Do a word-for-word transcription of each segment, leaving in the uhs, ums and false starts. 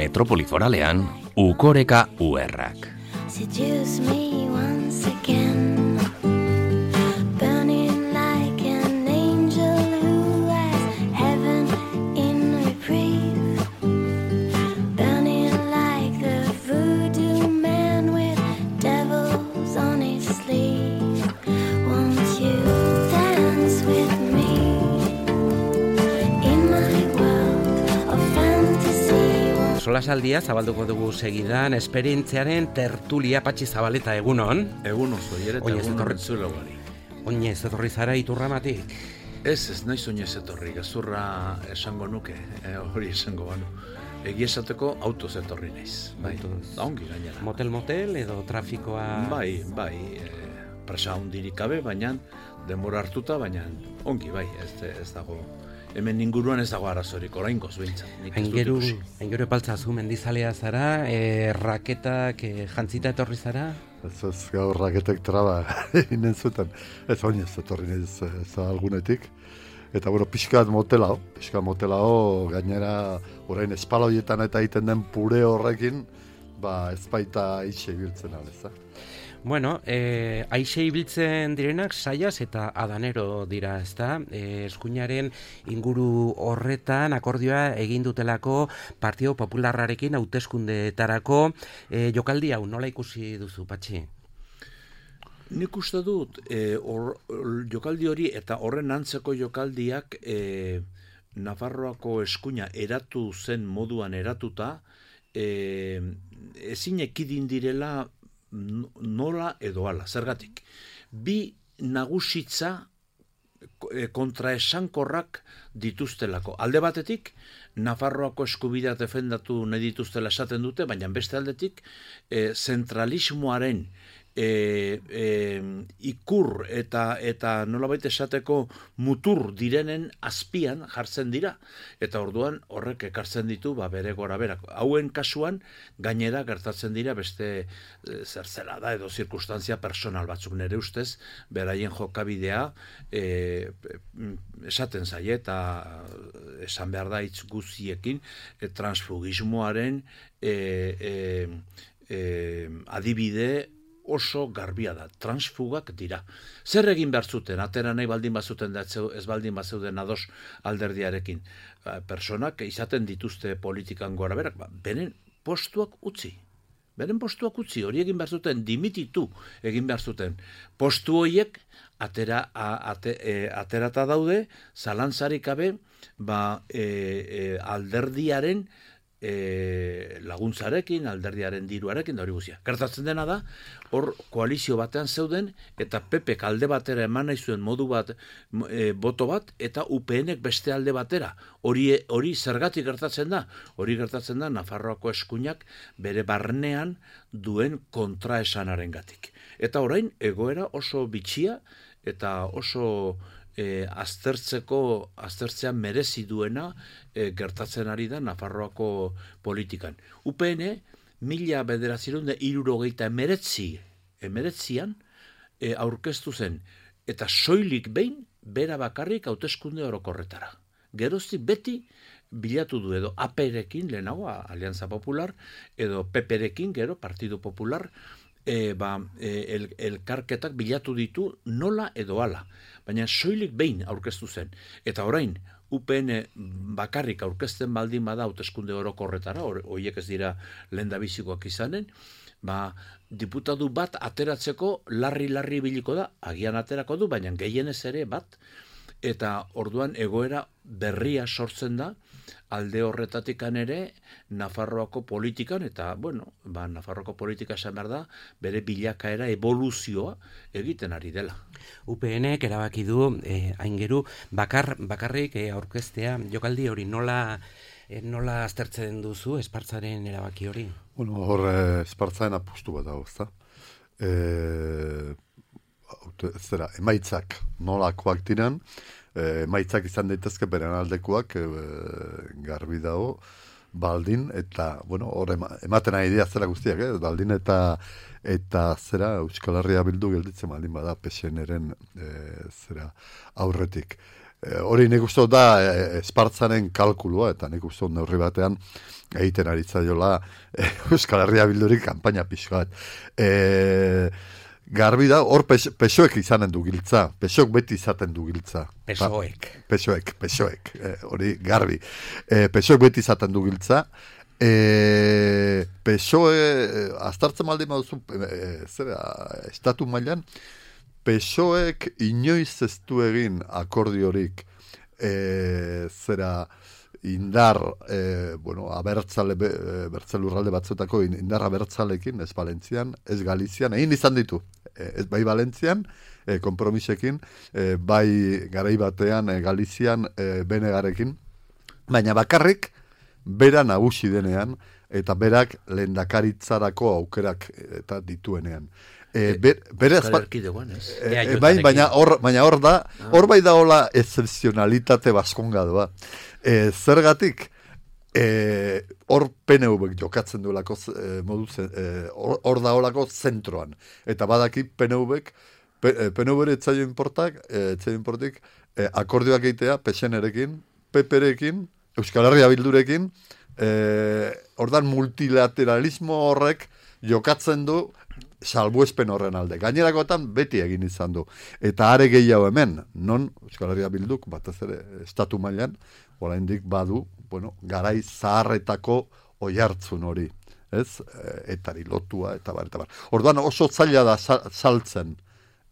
metropoli foralean, Ukoreka Uerrak. Seduce me once again, burning like an angel who has heaven in reprieve, burning like the voodoo man with devils on his sleeve. Won't you dance with me in my world of fantasy? Solasaldia zabalduko dugu segidan, esperientziaren tertulia. Patxi Zabaleta, egunon. Egunon, zoier eta egunon entzule gari. Oinez etorri zara Iturramatik? Ez, ez naiz oinez etorri, gezurra esango nuke, eh, hori esango banu. Egi esateko autoz etorri naiz. Bai, da ongi gainera. Motel-motel edo trafikoa? Bai, bai, e, presa hundirik gabe, baina denbora hartuta, baina ongi, bai, ez, ez dago... Hemen inguruan ez dago arazorik, oraingoz behintzat. Aingeru, aingeru epaltzazu mendizalea zara, e, raketak e, jantzita etorri zara? Ez ez gaur raketek traba inen zuten. Ez oinez etorri ez, ez algunetik. Eta bueno, pixkat motelao, pixkat motelao, gainera orain espaloietan eta egiten den pure horrekin, ba ez baita itxe ibiltzen aleza. Bueno, eh, aixe ibiltzen direnak saiaz eta adanero dira, ezta? Eh, eskuinaren inguru horretan akordioa egin dutelako Partido Popularrarekin hauteskundeetarako. Eh, jokaldi hau nola ikusi duzu, Patxi? Nik uste dut, eh, or, jokaldi hori eta horren antzeko jokaldiak eh, Nafarroako eskuina eratu zen moduan eratuta, eh, ezin ekidin direla nola edo ala, zergatik. Bi nagusitza kontraesankorrak dituztelako. Alde batetik, Nafarroako eskubidea defendatu nahi dituztela esaten dute, baina beste aldetik, e, zentralismoaren e, e, ikur eta eta nolabait esateko mutur direnen azpian jartzen dira. Eta orduan horrek ekartzen ditu ba, bere gora berak. Hauen kasuan gainera gertatzen dira beste e, zertzela da edo zirkustantzia personal batzuk nere ustez, beraien jokabidea e, esaten zaie eta esan behar da hitz guztiekin e, transfugismoaren e, e, e, adibide oso garbia da, transfugak dira. Zer egin behar zuten, atera nahi baldin bazuten da ez baldin bazeuden ados alderdiarekin. Personak izaten dituzte politikan gora berak, ba, beren postuak utzi. Beren postuak utzi, hori egin behar zuten, dimititu egin behar zuten. Postu horiek atera, a, ate, e, aterata daude, zalantzarik gabe, ba, e, e, alderdiaren E, laguntzarekin, alderdiaren diruarekin, da hori guzia. Gertatzen dena da, hor koalizio batean zeuden, eta P P alde batera eman nahi zuen modu bat, e, boto bat, eta U P Nek beste alde batera. Hori, hori zergatik gertatzen da? Hori gertatzen da, Nafarroako eskuinak bere barnean duen kontraesanaren gatik. Eta orain, egoera oso bitxia, eta oso... E, aztertzeko, aztertzean merezi duena e, gertatzen ari da Nafarroako politikan. U P N, mila bederatziehun eta hirurogeita emeretzi, emeretzian e, aurkeztu zen, eta soilik behin bera bakarrik hauteskunde orokorretara. Geroztik beti bilatu du edo A P-rekin, lehenago, Alianza Popular, edo P P-rekin, gero, Partido Popular, E, ba, e, el, elkarketak bilatu ditu nola edo ala. Baina soilik behin aurkeztu zen. Eta orain, U P N bakarrik aurkezten baldin bada hauteskunde orokorretara, horiek ez dira lehendabizikoak izanen, ba, diputatu bat ateratzeko larri-larri biliko da, agian aterako du, baina gehienez ere bat, eta orduan egoera berria sortzen da, alde horretatikan ere Nafarroako politikan, eta, bueno, ba, Nafarroako politika esan behar da, bere bilakaera evoluzioa egiten ari dela. U P Nek erabaki du, eh, aingeru, bakar, bakarrik eh, aurkeztea, jokaldi hori nola, eh, nola aztertzen duzu Espartzaren erabaki hori? Bueno, hor eh, Espartzaren apustu bat dago, ezta? Eh, zera, emaitzak nolakoak diren, emaitzak izan daitezke beren aldekoak e, garbi dago, baldin eta, bueno, hor ematen nahi dira zera guztiak, eh? Baldin eta eta zera Euskal Herria Bildu gelditzen baldin bada P S N-ren e, zera aurretik. hori nik uste da e, Espartzaren kalkulua, eta nik uste neurri batean egiten ari zaiola e, Euskal Herria Bildurik kanpaina pixka bat. E, garbi da, hor pes, pesoek izanen du giltza, pesoek beti izaten du giltza. Pesoek. Pesoek, pesoek, e, hori garbi. E, pesoek beti izaten du giltza, e, pesoe, aztartzen maldi maduzu, e, zera, estatu mailan, pesoek inoiz ez du egin akordiorik, e, zera, indar, e, bueno, abertzale, bertze lurralde batzuetako indar abertzalekin, ez Valentzian, ez Galizian, egin izan ditu, e, ez bai Valentzian, e, kompromisekin, e, bai garai batean, e, Galizian, e, Benegarekin, baina bakarrik, bera nagusi denean, eta berak lehendakaritzarako aukerak eta dituenean. E, ber, bere Euskal Erkidegoan, ez? E, e, bai, baina hor, baina hor da, hor bai da hola excepcionalitate baskongadoa. E, zergatik, e, hor P N V jokatzen duelako e, modu, hor e, da holako zentroan. Eta badaki P N V P N V etzaio inportak, etzaio inportik, e, akordioak egitea P S N-erekin, P P-rekin, Euskal Herria Bildurekin, e, ordan multilateralismo horrek jokatzen du salbuespen horren alde. Gainerakoetan beti egin izan du. Eta are gehiago hemen, non Euskal Herria Bilduk, batez ere, estatu mailan, oraindik badu, bueno, garai zaharretako oihartzun hori, ez? Etari lotua, eta bar, eta bar. Orduan oso zaila da saltzen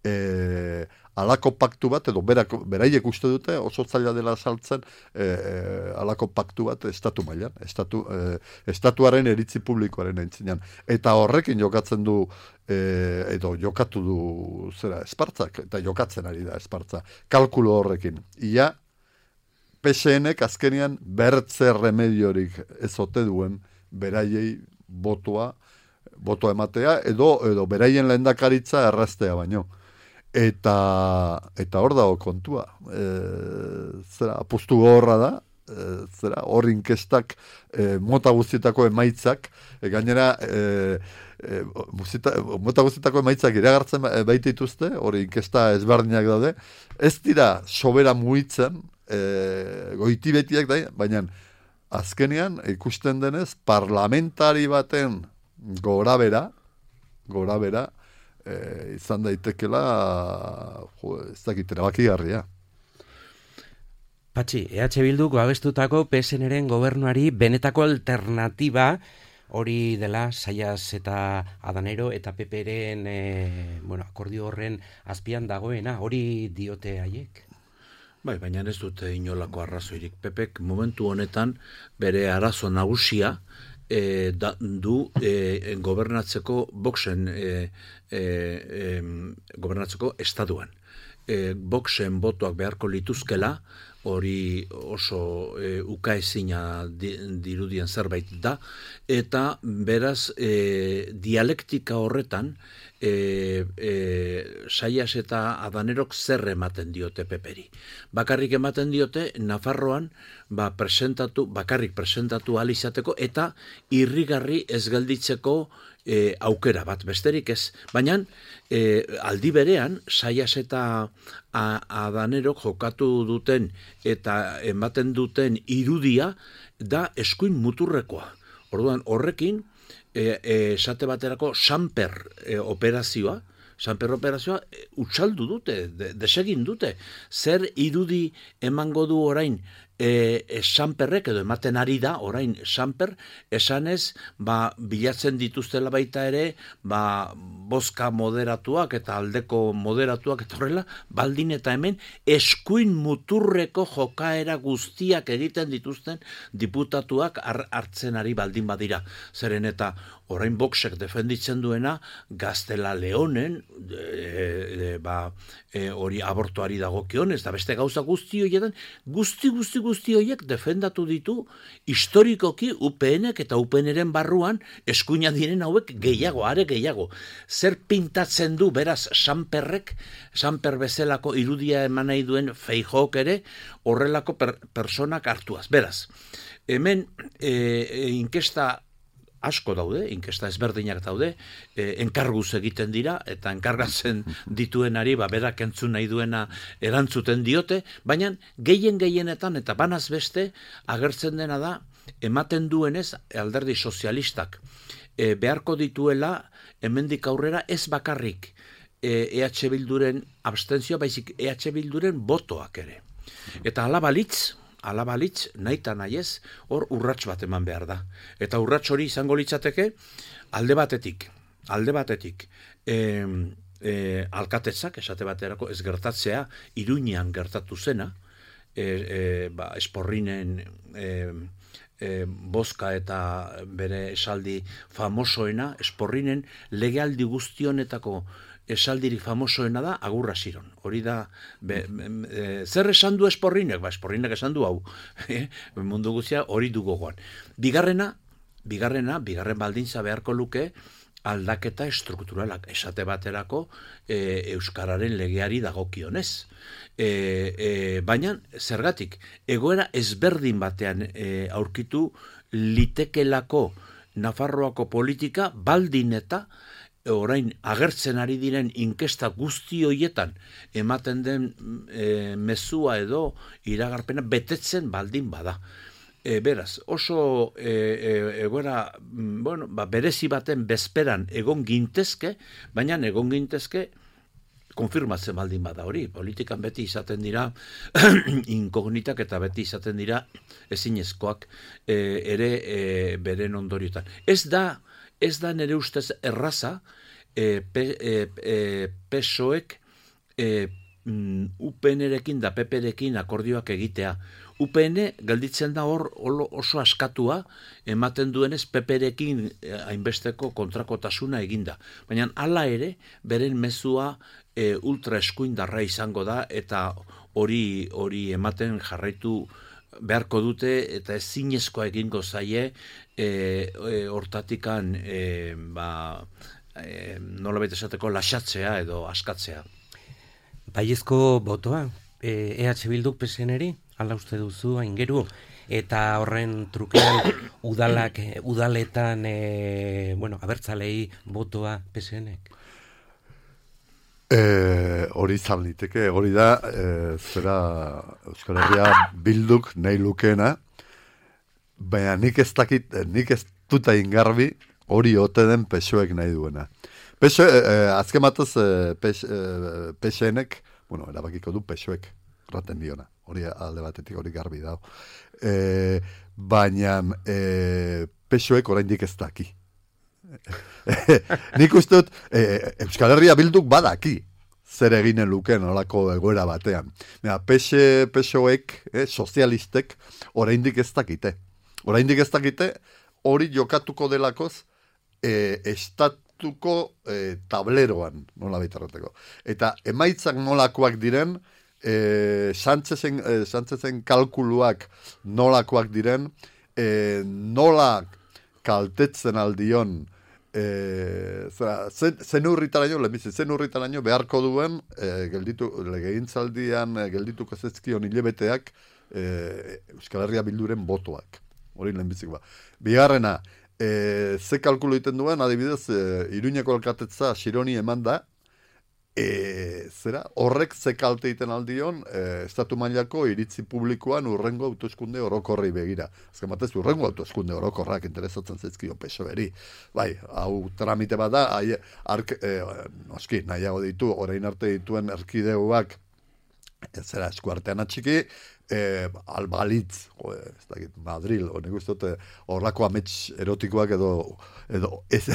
e, alako paktu bat, edo berak, beraiek uste dute, oso zaila dela saltzen e, e, alako paktu bat estatu mailan, estatu, e, estatuaren iritzi publikoaren aintzinean. Eta horrekin jokatzen du, e, edo jokatu du zera Espartzak, eta jokatzen ari da Espartza, kalkulo horrekin. Ia, P S N-ek azkenean bertze remediorik ez ote duen beraiei botoa, botoa ematea, edo, edo beraien lehendakaritza erraztea baino. Eta eta hor dago kontua. E, zera, apustu gorra da, e, zera, hor inkestak e, mota guztietako emaitzak, e, gainera e, e, muzita, mota guztietako emaitzak iragartzen baita dituzte, hori inkesta ezberdinak daude, ez dira sobera mugitzen, e, goiti betiak da, baina azkenean ikusten denez parlamentari baten gorabera, gorabera, E, izan daitekela jo, ez dakit erabakigarria. Patxi, E H Bilduk babestutako P S N-ren gobernuari benetako alternatiba hori dela Zayas eta Adanero eta P P-ren e, bueno, akordio horren azpian dagoena, hori diote haiek? Bai, baina ez dute inolako arrazoirik. P P-ek momentu honetan bere arazo nagusia E, da, du e, gobernatzeko Voxen e, e, e, gobernatzeko estatuan. E, Voxen botoak beharko lituzkela, hori oso e, ukaezina di, dirudien zerbait da, eta beraz e, dialektika horretan e, e, Zayas eta Adanerok zer ematen diote Peperi. Bakarrik ematen diote Nafarroan ba, presentatu, bakarrik presentatu ahal izateko eta irrigarri ez gelditzeko e, aukera bat, besterik ez. Baina e, aldi berean Zayas eta Adanerok jokatu duten eta ematen duten irudia da eskuin muturrekoa. Orduan horrekin e, e, esate baterako Samper e, operazioa, Samper operazioa e, utxaldu dute, de, desegin dute. Zer irudi emango du orain e, e, Samperrek, edo ematen ari da orain Samper, esanez, ba, bilatzen dituztela baita ere, ba, bozka moderatuak eta aldeko moderatuak eta horrela, baldin eta hemen eskuin muturreko jokaera guztiak egiten dituzten diputatuak hartzen ari baldin badira. Zeren eta orain Voxek defenditzen duena Gaztela Leonen, e, e, ba, e, hori abortoari dagokionez, eta beste gauza guzti horietan, guzti guzti guzti horiek defendatu ditu historikoki U P N-ek eta U P N-ren barruan eskuina diren hauek gehiago, are gehiago. Zer pintatzen du beraz Samperrek, Samper bezalako irudia eman nahi duen Feijóok ere horrelako per, personak hartuaz. Beraz, hemen e, e, inkesta asko daude, inkesta ezberdinak daude, e, enkarguz egiten dira, eta enkargatzen dituenari, ba, berak entzun nahi duena erantzuten diote, baina gehien gehienetan, eta banaz beste, agertzen dena da, ematen duenez, alderdi sozialistak, e, beharko dituela, hemendik aurrera ez bakarrik, E EH Bilduren abstentzioa, baizik E H Bilduren botoak ere. Eta alabalitz, alabalitz, nahi eta nahi ez, hor urrats bat eman behar da. Eta urrats hori izango litzateke, alde batetik, alde batetik, e, e, alkatetzak, esate baterako, ez gertatzea, Iruñean gertatu zena, e, e, ba, esporrinen e, e, bozka eta bere esaldi famosoena, esporrinen legealdi guztionetako esaldirik famosoena da agurra ziron. Hori da, be, e, zer esan du esporrinek? Ba, esporrinek esan du hau. Mundu guztia hori du gogoan. Bigarrena, bigarrena, bigarren baldintza beharko luke aldaketa estrukturalak. Esate baterako e, euskararen legeari dagokionez. E, e, baina, zergatik, egoera ezberdin batean e, aurkitu litekelako Nafarroako politika baldin eta orain agertzen ari diren inkesta guzti hoietan ematen den e, mezua edo iragarpena betetzen baldin bada. E, beraz, oso e, e, egoera, bueno, ba, berezi baten bezperan egon gintezke, baina egon gintezke konfirmatzen baldin bada hori. Politikan beti izaten dira inkognitak eta beti izaten dira ezinezkoak e, ere e, beren ondoriotan. Ez da Ez da nire ustez erraza e, pe, e, e, P S O ek e, U P N-rekin da P P-rekin akordioak egitea. U P N gelditzen da hor oso askatua ematen duenez P P-rekin hainbesteko kontrakotasuna eginda. Baina hala ere, beren mezua e, ultra eskuindarra izango da eta hori hori ematen jarraitu beharko dute eta ezinezkoa egingo zaie e, e, hortatikan e, ba, e, nola baita esateko lasatzea edo askatzea. Baiezko botoa, e, EH Bilduk P S N-eri, ala uste duzu, aingeru, eta horren trukean udalak, udaletan, e, bueno, abertzalei botoa P S N-ek? E, hori izan liteke, hori da, e, zera Euskal Herria Bilduk nahi lukeena, baina nik ez dakit, nik ez dut egin garbi hori ote den P S O ek nahi duena. P S O, e, azken batez e, P S N-ek, bueno, erabakiko du P S O ek raten diona, hori alde batetik hori garbi dago. E, baina e, P S O ek oraindik ez daki. Nik uste dut e, Euskal Herria Bilduk badaki zer eginen luken olako egoera batean. P S O ek, eh, sozialistek, oraindik ez dakite. Oraindik ez dakite, hori jokatuko delakoz e, estatuko e, tableroan, nola baitarrateko. Eta emaitzak nolakoak diren, e, Sánchezen, e, Sánchezen kalkuluak nolakoak diren, e, nola kaltetzen aldion E, zera, zen, zen urritaraino, lehenbizi, zen urritaraino beharko duen e, gelditu, legegintzaldian e, geldituko zezkion hilebeteak e, Euskal Herria Bilduren botoak. Hori lehenbizik ba. Bigarrena, e, ze kalkulu egiten duen, adibidez, e, Iruñeko alkatetza Xironi eman da, e, zera, horrek ze kalte egiten aldion, e, estatu mailako iritzi publikoan urrengo autoeskunde orokorrei begira. Azken batez, urrengo autoeskunde orokorrak interesatzen zaizkio P S O-eri. Bai, hau tramite bat da, hai, ark, e, noski, nahiago ditu, orain arte dituen erkidegoak, ez zera, eskuartean atxiki, e, albalitz, jo, ez dakit, Madril, honek uste horrako amets erotikoak edo, edo ez,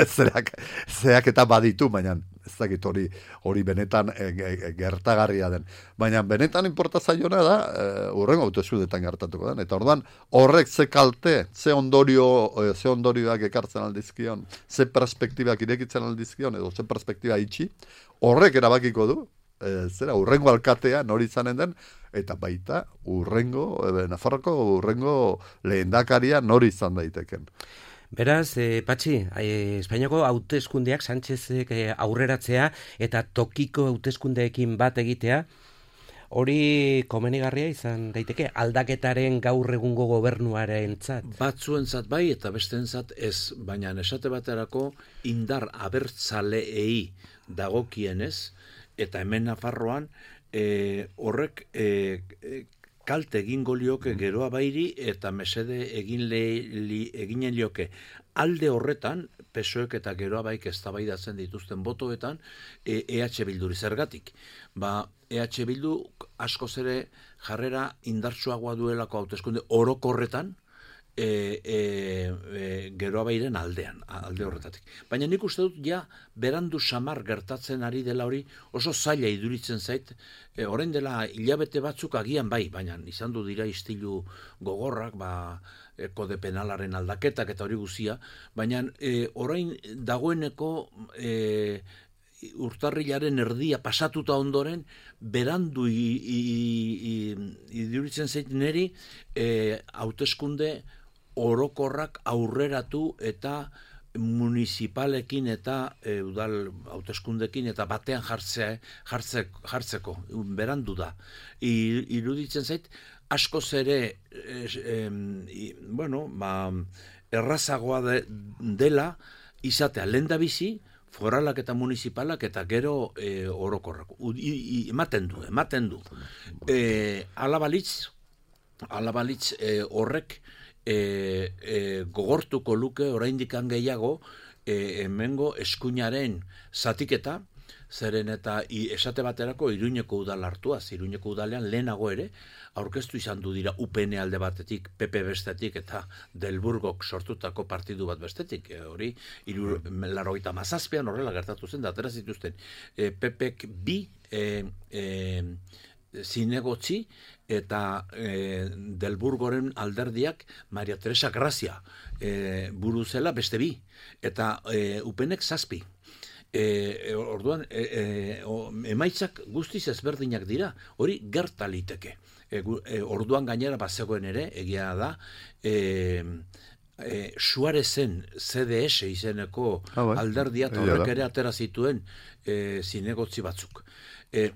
zerak, zeak eta baditu, baina ez dakit hori hori benetan e, e, gertagarria den. Baina benetan inporta zaiona da, e, urrengo autoeskudetan gertatuko den. Eta orduan, horrek ze kalte, ze ondorio, e, ze ondorioak ekartzen aldizkion, ze perspektibak irekitzen aldizkion, edo ze perspektiba itxi, horrek erabakiko du, e, zera, urrengo alkatea nori izanen den, eta baita urrengo, e, Nafarroko urrengo lehendakaria nori izan daiteken. Beraz, eh, Patxi, eh, Espainiako hauteskundeak Sánchezek eh, aurreratzea eta tokiko hauteskundeekin bat egitea, Hori komenigarria izan daiteke, aldaketaren gaur egungo gobernuarentzat. Batzuentzat bai eta besteentzat ez, baina esate baterako indar abertzaleei dagokienez, eta hemen Nafarroan e, horrek e, e, kalte egingo lioke geroa bairi eta mesede egin le, li, eginen lioke. Alde horretan, P S O E eta geroa baik eztabaidatzen dituzten botoetan, e, EH Bilduri zergatik. Ba, EH Bildu askoz ere jarrera indartsuagoa duelako hauteskunde orokorretan, E, e, e, geroa bairen aldean, alde horretatik. Baina nik uste dut, ja, berandu samar gertatzen ari dela hori, oso zaila iduritzen zait, e, orain dela hilabete batzuk agian bai, baina izan du dira istilu gogorrak, ba, e, kode penalaren aldaketak eta hori guzia, baina e, orain dagoeneko e, urtarrilaren erdia pasatuta ondoren, berandu iduritzen zait neri, e, hauteskunde orokorrak aurreratu eta municipalekin eta e, udal hauteskundekin eta batean jartzea, jartze, jartzeko, berandu da. I, iruditzen zait, askoz ere, es, em, i, bueno, ba, errazagoa de, dela, izatea lehendabizi, foralak eta municipalak eta gero e, orokorrak. U, i, i, ematen du, ematen du. E, alabalitz, alabalitz e, horrek, E, e, gogortuko luke oraindikan gehiago e, hemengo eskuinaren zatiketa, zeren eta i, esate baterako Iruñeko udal hartuaz, Iruñeko udalean lehenago ere, aurkeztu izan du dira U P N alde batetik, P P bestetik eta Delburgok sortutako partidu bat bestetik. E, hori, laurogeita hamazazpian horrela gertatu zen, da atera zituzten e, P Pek bi e, e, zinegotzi, eta e, Delburgoren alderdiak Maria Teresa Grazia e, buru zela beste bi, eta e, upenek zazpi. E, orduan, e, e, o, emaitzak guztiz ezberdinak dira, hori gerta liteke. E, e, orduan gainera bazegoen ere, egia da, e, e, Suarezen C D S izeneko ah, bai. alderdia, eta horrek ere atera zituen e, zinegotzi batzuk. E,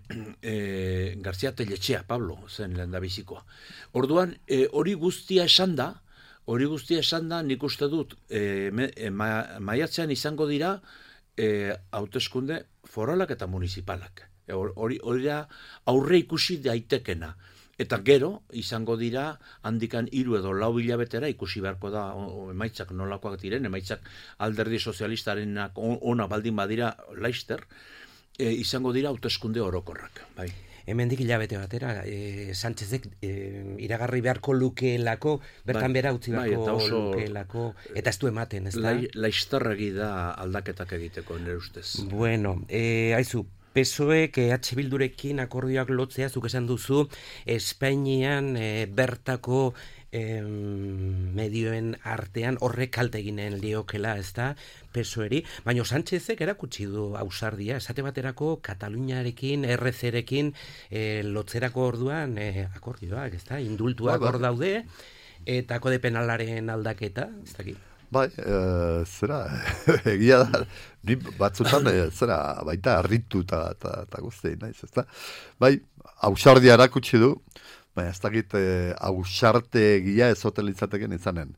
e, Garzia Telletxea, Pablo, zen lehendabizikoa. Orduan, e, hori guztia esan da, hori guztia esan da, nik uste dut, e, me, e, ma, maiatzean izango dira, e, hauteskunde foralak eta municipalak. E, hori, hori da aurre ikusi daitekena. Eta gero, izango dira, handikan hiru edo lau hilabetera ikusi beharko da o, emaitzak nolakoak diren, emaitzak alderdi sozialistarenak ona baldin badira laister, E, izango dira hauteskunde orokorrak, bai. Hemendik hilabete batera, e, Sánchezek e, iragarri beharko lukeelako, bertan bai, bera utzi beharko bai, oso, lukeelako, eta ez du ematen, ez da? Lai, laistarregi da aldaketak egiteko, nire ustez. Bueno, e, haizu, P S O E, E H Bildurekin akordioak lotzea, zuk esan duzu, Espainian e, bertako e, medioen artean horrek kalte eginen liokela, ez da, P S O E-ri, baina Sánchezek erakutsi du ausardia, esate baterako Kataluniarekin, R C-rekin e, lotzerako orduan e, akordioak, ez da, indultuak hor daude, eta kode penalaren aldaketa, ez dakit. Bai, e, zera, egia da, ni batzutan, e, zera, baita harritu eta guztien, naiz, ez da? Bai, ausardia erakutsi du, baina ez dakit e, ausarte egia ezotelizateken izanen.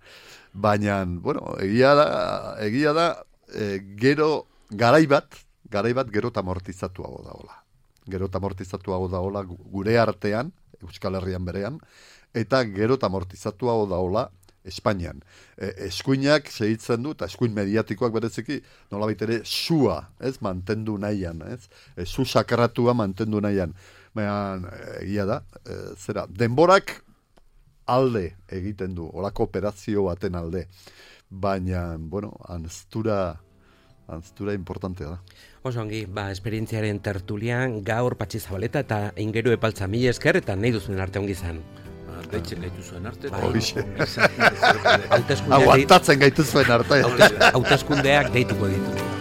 Baina, bueno, egia da, egia da, e, gero, garai bat, garai bat gero amortizatuago daola. Gero amortizatuago daola gure artean, Euskal Herrian berean, eta gero amortizatuago daola Espainian. E, eskuinak segitzen du, eta eskuin mediatikoak bereziki, nolabait ere, sua, ez, mantendu nahian, ez, e, su sakratua mantendu nahian. Baina, egia da, e, zera, denborak alde egiten du, olako operazio baten alde. Baina, bueno, anztura, anztura importantea da. Oso ongi, ba, esperientziaren tertulian, gaur Patxi Zabaleta eta Ingeru Epaltza mila esker, eta nahi duzuen arte ongi izan. Deitzen gaitu zuen arte. Horixe. Aguantatzen gaitu zuen arte. Hauteskundeak deituko ditu.